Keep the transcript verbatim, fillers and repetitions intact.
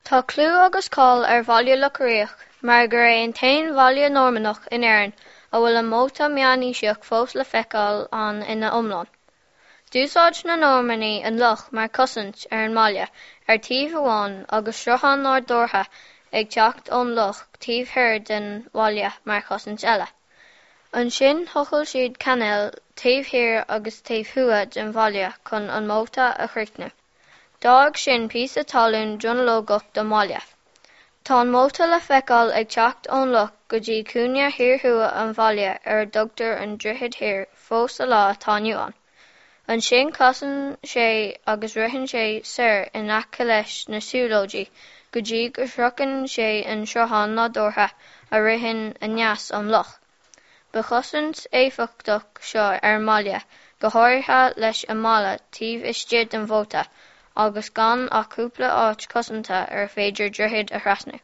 Tá clú agus cáil ar bhaile Locha Riach mar gur é an t-aon bhaile Normannach in Éirinn a bhfuil an móta meánaoiseach fós le feiceáil ann ina iomlán. D'úsáid na Normannaigh an loch mar chosaint ar an mbaile ar taobh amháin agus sruthán nádúrtha ag teacht ón loch taobh thoir den bhaile mar chosaint eile. Ansin thochail siad cainéil taobh thiar agus taobh thuaidh den bhaile chun an móta a chríochnú. D'fhág sin píosa talún dronuilleogach don bhaile. Tá an móta le feiceáil ag teacht ón loch go dtí cúinne thiar thuaidh an bhaile ar a dtugtar an Droichead Thiar fós sa lá atá inniu ann. Ansin casann sé agus ritheann sé soir in aice leis na siúlóidí go dtí go sroicheann sé an sruthán nádúrtha a ritheann aneas ón loch. Ba chosaint éifeachtach seo ar an mbaile, go háirithe leis an mbaile taobh istigh den mhóta agus gan ach cúpla áit chosanta ar féidir droichead a thrasnú.